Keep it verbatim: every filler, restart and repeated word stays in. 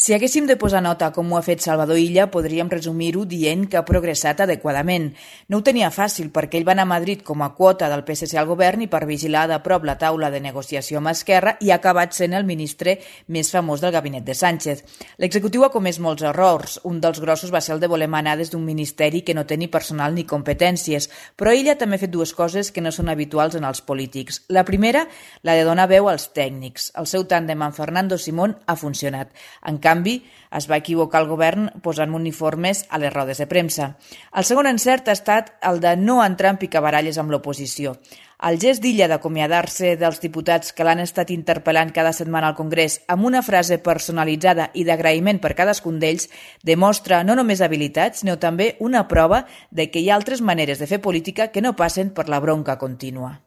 Si haguéssim de posar nota com ho ha fet Salvador Illa, podríem resumir-ho dient que ha progressat adequadament. No ho tenia fàcil perquè ell va anar a Madrid com a quota del P S C al govern i per vigilar de prop la taula de negociació amb Esquerra i ha acabat sent el ministre més famós del gabinet de Sánchez. L'executiu ha comès molts errors. Un dels grossos va ser el de voler manar des d'un ministeri que no té ni personal ni competències, però Illa també ha fet dues coses que no són habituals en els polítics. La primera, la de donar veu als tècnics. El seu tàndem amb Fernando Simón ha funcionat. En canvi, En canvi, es va equivocar el govern posant uniformes a les rodes de premsa. El segon encert ha estat el de no entrar en picabaralles amb l'oposició. El gest d'Illa d'acomiadar-se dels diputats que l'han estat interpel·lant cada setmana al Congrés amb una frase personalitzada i d'agraïment per cadascun d'ells demostra no només habilitat, sinó també una prova de que hi ha altres maneres de fer política que no passen per la bronca contínua.